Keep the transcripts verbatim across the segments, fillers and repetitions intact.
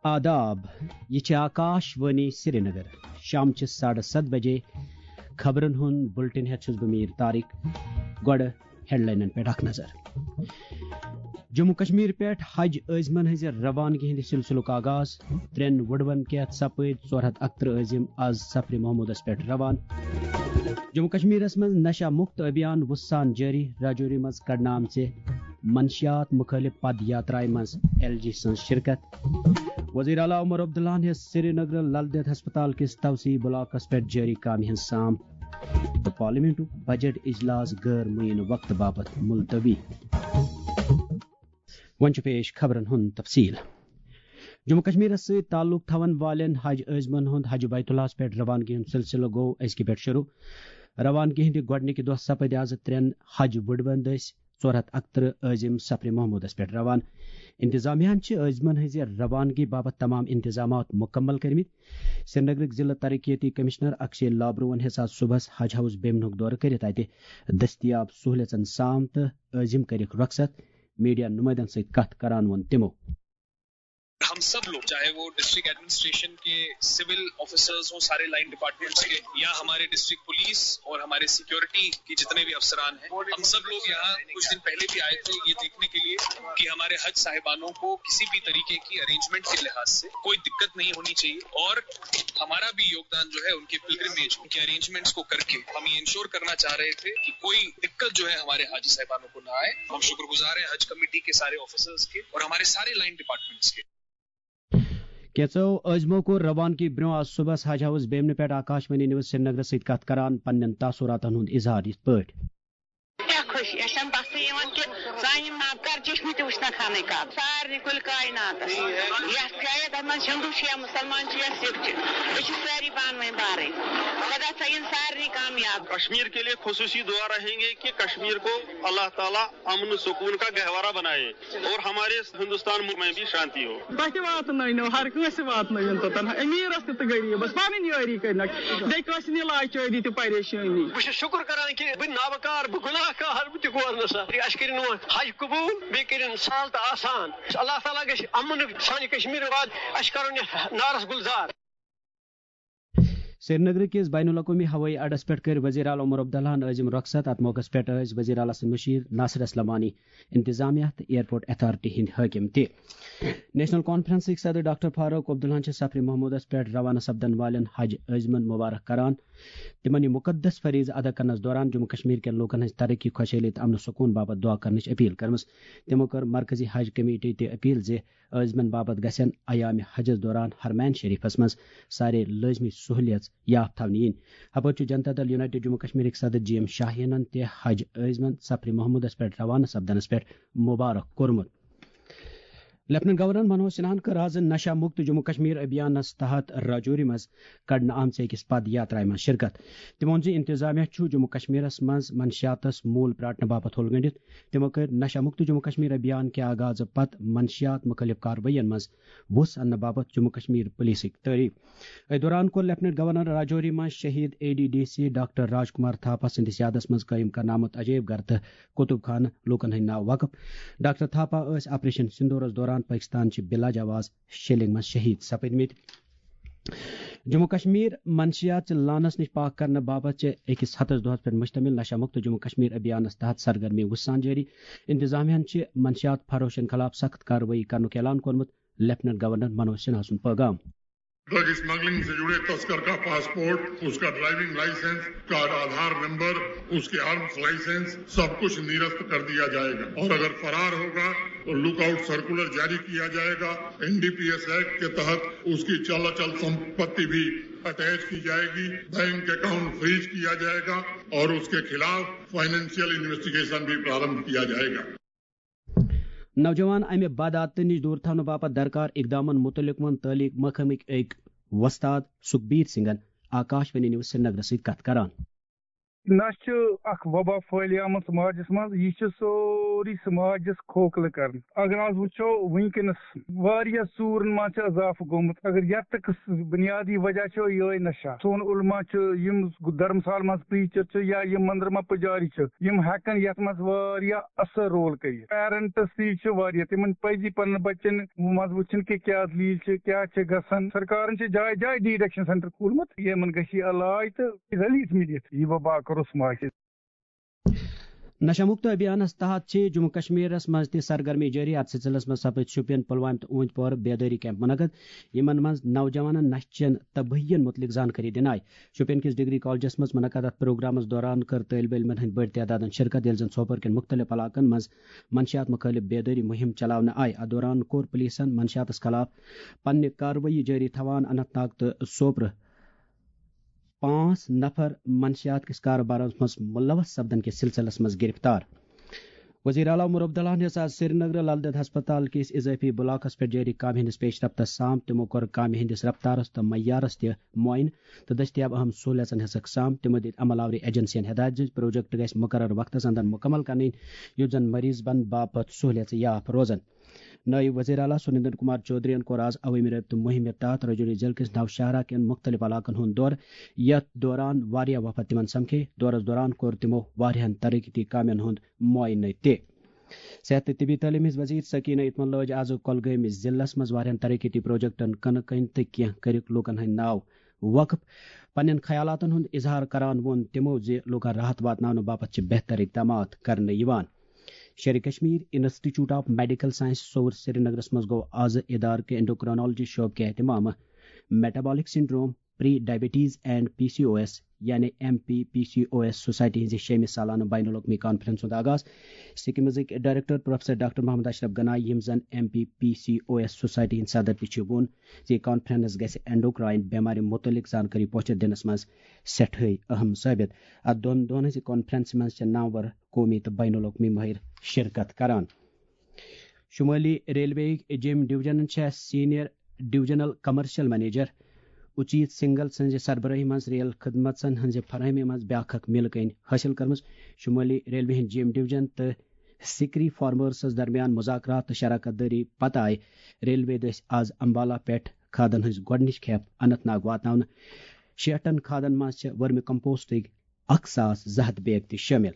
آداب، یہِ چھِ آکاش وانی سرینگر۔ شام چہِ ساڑٕ ستھ بجے خبرن ہُنٛد بُلٹن ہٮ۪تھ چھُس بہٕ میٖر طارق۔ گۄڈٕ ہیڈلاینن پٮ۪ٹھ اکھ نظر۔ جموں کشمیر پٮ۪ٹھ حج عٲزمن ہٕنٛزِ روانگی ہٕنٛدِ سلسلُک آغاز۔ ترٛٮ۪ن وُڈوَن کٮ۪تھ سپٕدۍ ژور ہتھ اَکترٕہ عٲزم آز سفرِ محمودس پٮ۪ٹھ روان۔ جموں کشمیرس منٛز نشہ مکت ابھیان وُژھ سان جٲری۔ راجوری منٛز کڑنہٕ آمژِ منشیات مخٲلف پد یاترایہِ منٛز ایل جی سٕنٛز شرکت۔ وزیر اعلیٰ عمر عبداللہن ہیٚژ سرینگر لل دٮ۪د ہسپتال کِس توسیعی بلاکس پٮ۪ٹھ جٲری کامہِ ہٕنٛز سام۔ تہٕ پارلیمنٹُک بجٹ اجلاس غٲر معین وقتہٕ باپتھ ملتوی۔ وۄنۍ چھُ پیش خبرن ہُنٛد تفصیل۔ جموں کشمیرس سۭتۍ تعلق تھاون والٮ۪ن حج عٲزمن ہُنٛد حج بیت اللہس پٮ۪ٹھ روانگی ہُنٛد سلسلہٕ گوٚو أزکہِ پٮ۪ٹھ شروع۔ روانگی ہٕنٛدِ گۄڈٕنِکہِ دۄہ سپٕدۍ آز ترٛٮ۪ن حج وُڈوَن دٔسۍ ژور ہتھ اَکترٕہ عٲزم سفرِ محمودس پٮ۪ٹھ روان۔ انتظامیہ ہن چھِ عٲزمن ہٕنٛزِ روانگی باپتھ تمام انتظامات مکمل کٔرمٕتۍ۔ سرینگرٕکۍ ضلع ترقیتی کمشنر اکشے لابروہن ہیٚژ آز صبحس حج ہاؤس بیمنُک دورٕ کٔرِتھ اتہِ دٔستیاب سہولیژن سام تہٕ عٲزم کٔرِکھ رۄخصت۔ میڈیا نمائندن سۭتۍ کتھ کران ووٚن تِمو۔ ہم سب لوگ، چاہے وہ ڈسٹرکٹ ایڈمنسٹریشن کے سول آفیسرز ہوں، سارے لائن ڈپارٹمنٹس کے، یا ہمارے ڈسٹرکٹ پولیس اور ہمارے سیکیورٹی کے جتنے بھی افسران ہیں، ہم سب لوگ یہاں کچھ دن پہلے بھی آئے تھے یہ دیکھنے کے لیے کہ ہمارے حج صاحبانوں کو کسی بھی طریقے کی ارینجمنٹ کے لحاظ سے کوئی دقت نہیں ہونی چاہیے، اور ہمارا بھی یوگدان جو ہے ان کے پلگرمیج، ان کے ارینجمنٹس کو کر کے ہم یہ انشور کرنا چاہ رہے تھے کہ کوئی دقت جو ہے ہمارے حاجی صاحبانوں کو نہ آئے۔ ہم شکر گزار ہیں حج کمیٹی کے سارے آفیسرز کے اور ہمارے سارے لائن ڈپارٹمنٹس کے۔ کینٛژو عٲزمو کوٚر روانگی برٛونٛہہ آز صُبحس حج ہاؤس بیمنہٕ پٮ۪ٹھ آکاش وانی نیوز سرینگرس سۭتۍ کتھ کران پننٮ۪ن تاثراتن ہُنٛد اظہار یِتھ پٲٹھۍ۔ کیٛاہ خوشی، اَسہِ چھَنہٕ بسٕے یِوان کہِ سانہِ نابکار چشمہِ تہِ وٕچھنَکھ ہنٕے کَتھ۔ سارنٕے کُلہِ کایناتَس، یَتھ جایہِ اَتھ منٛز ہندو چھِ یا مُسلمان چھِ یا سِکھ چھِ، أسۍ چھِ سٲری پانہٕ ؤنۍ بارٕنۍ۔ خۄدا تھٲیِن سارنٕے کامیاب۔ کشمیر کے لیے خصوصی دعا رہیں گے کہ کشمیر کو اللہ تعالیٰ امن سکون کا گہوارہ بنائے اور ہمارے ہندوستان میں بھی شانتی ہو۔ تۄہہِ تہِ واتنٲونو، ہر کٲنٛسہِ واتنٲوِن توٚتن، امیٖرس تہِ تہٕ غریٖبس، پنٕنۍ یٲری کٔرنکھ۔ بیٚیہِ کٲنٛسہِ نہٕ لاچٲری تہٕ پریشٲنی۔ بہٕ چھُس شُکُر کران کہِ بہٕ نابکار، بہٕ گُناہ گار، بہٕ تہِ گوس نہٕ سا۔ اَسہِ کٔرِن وۄنۍ حج قبوٗل، بیٚیہِ کٔرِن سہل تہٕ آسان۔ اللہ تعالیٰ گژھِ امنُک سانہِ کشمیٖر واد، اَسہِ کرُن یہِ نارس گُلزار۔ سرینگر کِس بین الاقوٲمی ہوٲیی اڈس پٮ۪ٹھ کٔرۍ وزیر اعلیٰ عمر عبداللہن عٲزم رۄخصت۔ اتھ موقعس پٮ۪ٹھ ٲسۍ وزیر اعلیٰ سٕنٛدۍ مُشیر ناصر اسلمانی، انتظامیہ تہٕ ایئرپورٹ اتھارٹی ہٕنٛدۍ حٲکم تہِ۔ نیشنل کانفرنسٕکۍ صدر ڈاکٹر فاروق عبداللہن چھِ سفرِ محمودس پٮ۪ٹھ روانہٕ سپدن والٮ۪ن حج عٲزمن مبارک کران۔ تِمن یہِ مُقدس فریضہٕ ادا کرنس دوران جموں کشمیر کٮ۪ن لوٗکن ہٕنٛز ترقی، خۄشحٲلی تہٕ امن سکوٗن باپتھ دعا کرنٕچ اپیل کٔرمٕژ۔ تِمو کٔر مرکزی حج کمیٹی تہِ اپیل زِ عٲزمن باپتھ گژھن ایام حجس دوران حرمین شریفس منٛز سارے لٲزمی سہولیژ یافت تھاونہٕ یِنۍ۔ ہپٲرۍ چھُ جنتا دل یونائیٹڈ جموں کشمیرٕکۍ صدر جی ایم شاہینن تہِ حج عٲزمن سفرِ محمودس پٮ۪ٹھ روانہٕ سپدنس پٮ۪ٹھ مبارک کوٚرمُت۔ لیفٹیننٹ گورنر منوج سنہاہن کٔر آز نشہ مکت جموں کشمیر ابھیانس تحت راجوری منٛز کڑنہٕ آمژِ أکِس پد یاترایہِ منٛز شرکت۔ تٔمۍ ووٚن زِ انتظامیہ چھُ جموں کشمیرس منٛز منشیاتس موٗل پراٹنہٕ باپتھ ہوٚل گٔنڈِتھ۔ تِمو کٔرۍ نشہ مکت جموں کشمیر ابھیان کہِ آغازٕ پتہٕ منشیات مُخٲلف کاروٲیین منٛز وُژھ اننہٕ باپتھ جموں کشمیر پولیسٕکۍ تعریف۔ أتھۍ دوران کوٚر لیفٹیننٹ گورنر راجوری منٛز شہید A D D C doctor Raj Kumar Thapa سٕنٛدِس یادس منٛز قٲیِم کرنہٕ آمُت عجٲیب گھر تہٕ کتب خانہٕ لوٗکن ہٕنٛدۍ ناو وقف۔ ڈاکٹر تھاپا ٲسۍ آپریشن سندورس دوران پٲکستان چہِ بلا جواز شیلنگ منٛز شہید سپدمٕتۍ۔ جموں کشمیر منشیات چہِ لعنس نِش پاک کرنہٕ باپتھ چھِ أکِس ہتس دۄہس پٮ۪ٹھ مشتمل نشہ مکت جموں کشمیر ابھیانس تحت سرگرمی وُژھ سان جٲری۔ انتظامیہ ہن چھِ منشیات فروشن خلاف سخت کاروٲیی کرنُک اعلان کوٚرمُت۔ لیفٹیننٹ گورنر منوج سنہا سُنٛد پیغام۔ ڈرگ اسمگلنگ سے جڑے تسکر کا پاسپورٹ، اس کا ڈرائیونگ لائسنس، اس کا آدھار نمبر، اس کے آرمز لائسنس، سب کچھ نرست کر دیا جائے گا، اور اگر فرار ہوگا تو لک آؤٹ سرکولر جاری کیا جائے گا۔ N D P S act کے تحت اس کی چل اچل سمپتی بھی اٹیچ کی جائے گی، بینک اکاؤنٹ فریز کیا جائے گا اور اس کے خلاف فائنینشیل انویسٹیگیشن بھی پرارمبھ کیا جائے گا۔ نوجوان امہِ بدعادتہٕ نِش دوٗر تھاونہٕ باپتھ درکار اقدامن مُتعلق ووٚن تعلیق محکمٕکۍ أکۍ وۄستاد سُکبیٖر سنگھن آکاش وانی نیوز سرینگرس سۭتۍ کتھ کران۔ نہ چھُ اکھ وبا پھٲلیمٕژ سماجس منٛز، یہِ چھُ سورُے سماجس کھوکھلہٕ کران۔ اگر آز وٕچھو، وٕنکیٚنس واریاہ ژوٗرن منٛز چھُ اضافہٕ گوٚمُت۔ اگر یتھ تہٕ قٕصہٕ بنیادی وجہ چھُ یِہوٚے نشہ۔ سون علما چھُ، یِم دھرمسال منٛز پریچر چھِ یا یِم مندر منٛز پجاری چھِ، یِم ہٮ۪کن یتھ منٛز واریاہ اثر رول کٔرِتھ۔ پیرنٹس تہِ چھِ واریاہ، تِمن پزِ پننٮ۪ن بچن منٛز وٕچھُن کہِ کیٛاہ دٔلیٖل چھِ، کیٛاہ چھِ گژھان۔ سرکارن چھِ جایہِ جایہِ ڈی ایڈکشن سینٹر کھولمُت، یِمن گژھِ یہِ علاج تہٕ ریلیف میلِتھ، یہِ وبا کرو سماج۔ نشہ مکت ابھیانس تحت چھِ جموں کشمیرس منٛز تہِ سرگرمی جٲری۔ اتھ سلسلس منٛز سپٕدۍ شوپین، پلوامہ تہٕ اوٗنتۍ پورٕ بیدٲری کیمپ منعقد، یِمن منٛز نوجوانن نشہٕ چٮ۪ن تبٲہین متعلق زانکٲری دِنہٕ آیہِ۔ شوپین کِس ڈگری کالجس منٛز منعقد اتھ پروگرامس دوران کٔر طٲلبہِ علمن ہٕنٛدۍ بٔڑۍ تعدادن شرکت، ییٚلہِ زن سوپور کٮ۪ن مُختٔلِف علاقن منٛز منشیات مُخٲلِف بیدٲری مُہِم چلاونہٕ آیہِ۔ اتھ دوران کوٚر پُلیٖسن منشیاتس خلاف پننہِ کاروٲیی جٲری تھاوان اننت ناگ تہٕ سوپرٕ پانٛژھ نفر منشیات کِس کارٕبارس منٛز ملوث سپدن کِس سلسلس منٛز گرفتار۔ وزیر اعلیٰ عمر عبداللہ ہن ہیٚژ آز سرینگرٕ لل دٮ۪د ہسپتال کِس اضٲفی بلاکس پٮ۪ٹھ جٲری کامہِ ہٕنٛدِس پیش رفتس سام۔ تِمو کوٚر کامہِ ہٕنٛدِس رفتارس تہٕ معیارس تہِ معائنہٕ تہٕ دٔستیاب اہم سہولیژن ہیٚژکھ سام۔ تِمو دِتۍ عمل آوری ایجنسین ہدایت زِ پروجیکٹ گژھِ مقرر وقتس اندر مکمل کرنہٕ یُن، یُتھ زن مریضن باپتھ سہولیژٕ یاف روزن۔ نٲیِب وزیر اعلیٰ سُریندر کمار چودھرین کوٚر آز عوٲمی رٲبطہٕ مُہِمہِ تحت رجوری ضلعہٕ کِس نوشہرہ کٮ۪ن مُختٔلِف علاقن ہُنٛد دورٕ، یتھ دوران واریاہ وفد تِمن سمکھے۔ دورس دوران کوٚر تِمو واریاہن ترقیتی کامٮ۪ن ہُنٛد معائنہٕ تہِ۔ صحت تہٕ طبی تعلیٖم ہٕنٛز وزیر سکینہ اتمن لٲج آز کۄلگٲمۍ ضلعس منٛز واریاہن ترقیتی پروجیکٹن کٕنہٕ کٔنۍ تہٕ کینٛہہ کٔرِکھ لوٗکن ہٕنٛدۍ ناو وقف۔ پننٮ۪ن خیالاتن ہُنٛد اظہار کران ووٚن تِمو زِ لوٗکن راحت واتناونہٕ باپتھ چھِ بہتر اقدامات کرنہٕ یِوان۔ شیرِ Kashmir institute of medical science Soura سرینگرس منٛز گوٚو آز ادارٕ کہِ انڈوکرانالوجی شعبہٕ کہِ اہتمامہٕ metabolic syndrome, pre diabetes and P C O S یعنی M P P C O S society ہٕنٛزِ شیٚمہِ سالانہٕ بین الاقوٲمی کانفرنس ہُنٛد آغاز۔ سکمزٕکۍ director professor doctor Mohammad Ashraf Ganai, یِم زن M P P C O S society ہٕنٛدۍ صدر تہِ چھِ، ووٚن زِ یہِ کانفرنس گژھِ اینڈوکرائن بیمارِ متعلق زانکٲری پوچھر دِنس منٛز سٮ۪ٹھٕے اہم ثٲبت۔ اتھ دۄن دۄہن ہٕنٛزِ کانفرنسہِ منٛز چھِ ناوور قومی تہٕ بین الاقوٲمی مٲہِر شرکت کران۔ شمٲلی ریلوے یِکۍ جیٚمۍ ڈویژنن چھےٚ senior divisional commercial manager Uchit Singhal سٕنٛزِ سربرٲہی منٛز ریل خدمژن ہٕنٛزِ فراہمی منٛز بیٛاکھ اکھ میلہٕ کٔنۍ حٲصِل کٔرمٕژ۔ شمٲلی ریلوے ہٕنٛدۍ جیٚمۍ ڈویژن تہٕ سکری فارمرسس درمیان مذاکرات تہٕ شراکت دٲری پتہٕ آیہِ ریلوے دٔسۍ آز امبالہ پٮ۪ٹھ کھادن ہٕنٛز گۄڈٕنِچ کھیپ اننت ناگ واتناونہٕ۔ شیٹھن کھادن منٛز چھِ ورمی کمپوسٹٕکۍ اکھ ساس زٕ ہتھ بیگ تہِ شٲمِل۔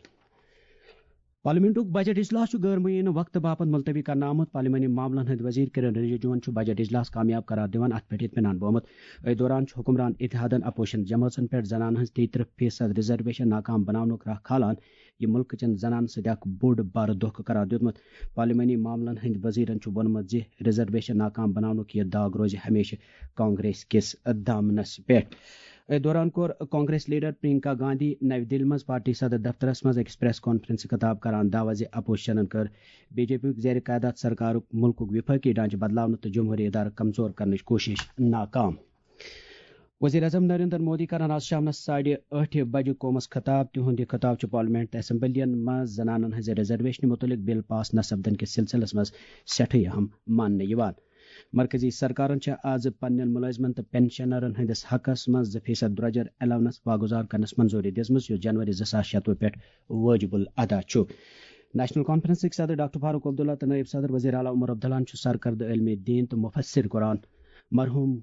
پارلیمنٹُک بجٹ اجلاس چھُ غٲر معینہٕ وقتہٕ باپتھ ملتوی کرنہٕ آمُت۔ پارلیمانی معاملن ہٕنٛدۍ وزیر کِرن رجیجوَن چھُ بجٹ اجلاس کامیاب قرار دِوان اتھ پٮ۪ٹھ اطمینان بومُت۔ أتھۍ دوران چھُ حکمران اتحادن اپوزیشن جمٲژن پٮ۪ٹھ زنانن ہٕنٛز تیٚیہِ ترٕٛہ فیصد ریزرویشن ناکام بناونُک راہ کھالان، یہِ مُلکہٕ چٮ۪ن زنانن سۭتۍ اکھ بوٚڑ بارٕ دھوکہٕ قرار دیُتمُت۔ پارلیمانی معاملن ہٕنٛدۍ وزیرن چھُ ووٚنمُت زِ ریزرویشن ناکام بناونُک یہِ داغ روزِ ہمیشہٕ کانگریس کِس دامنس پٮ۪ٹھ۔ أتھۍ دوران کوٚر کانگریس لیڈر پرینکا گاندھی نَوِ دِلہِ منٛز پارٹی صدر دفترس منٛز أکِس پریس کانفرنسہِ خطاب کران دعویٰ زِ اپوزیشنن کٔر بی جے پی یُک زیر قیادت سرکارُک مُلکُک وفٲقی ڈھانچہٕ بدلاونہٕ تہٕ جمہوٗری ادارٕ کمزور کرنٕچ کوٗشش ناکام۔ وزیر اعظم نریندر مودی کرن آز شامنس ساڑِ ٲٹھِ بجہِ قومس خطاب۔ تِہُنٛد یہِ خطاب چھُ پارلیمنٹ تہٕ اسمبلین منٛز زنانن ہٕنٛزِ ریزرویشنہِ مُتعلق بل پاس نہ سپدن کِس سلسلس منٛز سٮ۪ٹھٕے اہم ماننہٕ یِوان۔ مرکزی سرکارن چھےٚ آز پننٮ۪ن مُلٲزمن تہٕ پنشنرن ہٕنٛدِس حقس منٛز زٕ فیصد درٛۄجر الاونس واگُزار کرنس منظوٗری دِژمٕژ، یُس جنوری زٕ ساس شتوُہ پٮ۪ٹھ وٲجِبُل ادا چھُ۔ نیشنل کانفرنسٕکۍ صدر ڈاکٹر فاروق عبداللہ تہٕ نٲیِب صدر وزیر اعلیٰ عمر عبداللہن چھُ سرکردٕ عٲلمِ دیٖن تہٕ مُفسر قرآن مرحوٗم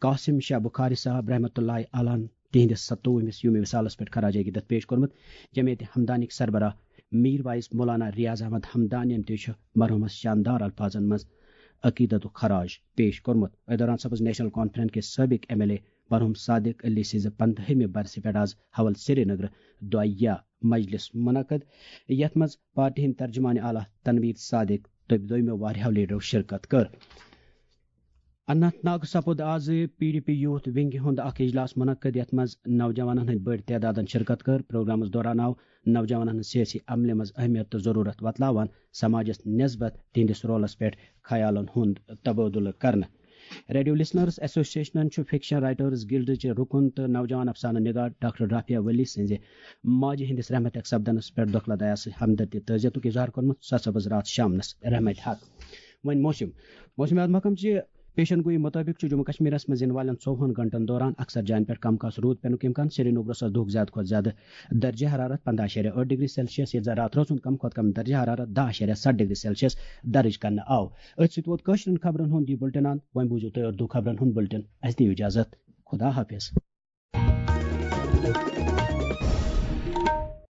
قاسم شاہ بخاری صاحب رحمتہ اللہ علیہ تِہنٛدِس ستووُہمِس یومِ وصالس پٮ۪ٹھ خراج عقیدت پیش کوٚرمُت۔ جمعیت ہمدانیکۍ سربراہ میر وائس مولانا ریاض احمد ہمدانین تہِ چھُ مرحوٗمس شاندار الفاظن منٛز عقیدتُک خراج پیش کوٚرمُت۔ أتھۍ دوران سپٕز نیشنل کانفرنس کِس سٲبق ایم ایل اے مرحوٗم صادق علی سٕنٛزِ پندہمہِ برسہِ پٮ۪ٹھ آز حول سرینگرٕ دُعایہ مجلس منعقد، یتھ منٛز پارٹی ہٕنٛدۍ ترجمان اعلیٰ تنویر صادق تہٕ دوٚیمو واریاہو لیڈرو شرکت کٔر۔ اننت ناگ سپُد آز پی ڈی پی یوتھ ونگہِ ہُنٛد اکھ اجلاس منعقد، یتھ منٛز نوجوانن ہٕنٛدۍ بٔڑۍ تعدادن شرکت کٔر۔ پروگرامس دوران آو نوجوانن ہٕنٛز سیٲسی عملہِ منٛز اہمیت تہٕ ضروٗرت وۄتلاوان سماجس نسبت تِہنٛدِس رولس پٮ۪ٹھ خیالن ہُنٛد تبادلہٕ کرنہٕ۔ ریڈیو لسنرز ایسوسیشنن چھُ فکشن رائٹرز گلڈٕچ رُکُن تہٕ نوجوان افسانہٕ نگار ڈاکٹر رافیہ ولی سٕنٛزِ ماجہِ ہٕنٛدِس رحمت اکھ سپدنس پٮ۪ٹھ دۄکھلہٕ دیا سۭتۍ ہمدردی تہٕ تعزیتُک اظہار کوٚرمُت۔ سۄ سپٕز راتھ شامنس رحمت حق۔ وۄنۍ موسم۔ موسمیات محکمہٕ چہِ پیشن گوئی مطٲبق چھُ جموں کشمیرس منٛز یِنہٕ والٮ۪ن ژووُہن گھنٹن دوران اکثر جاین پٮ۪ٹھ کم کھاس روٗد پٮ۪نُک امکان۔ سری نگرس آسہِ دۄہُک زیادٕ کھۄتہٕ زیادٕ درجہ حرارت پنٛداہ اَشاریہ ٲٹھ ڈگری سیلسیس، ییٚتہِ زن راتہٕ رٲژ ہُنٛد کم کھۄتہٕ کم درجہ حرارت دَہ اَشاریہ سَتھ ڈگری سیلسیس درج کرنہٕ آو۔ أتھۍ سۭتۍ ووت کٲشرٮ۪ن خبرن ہُنٛد یہِ بُلٹن اند۔ وۄنۍ بوٗزِو تُہۍ اردو خبرن ہُنٛد بُلٹن۔ اَسہِ دِیِو اجازت۔ خدا حافظ۔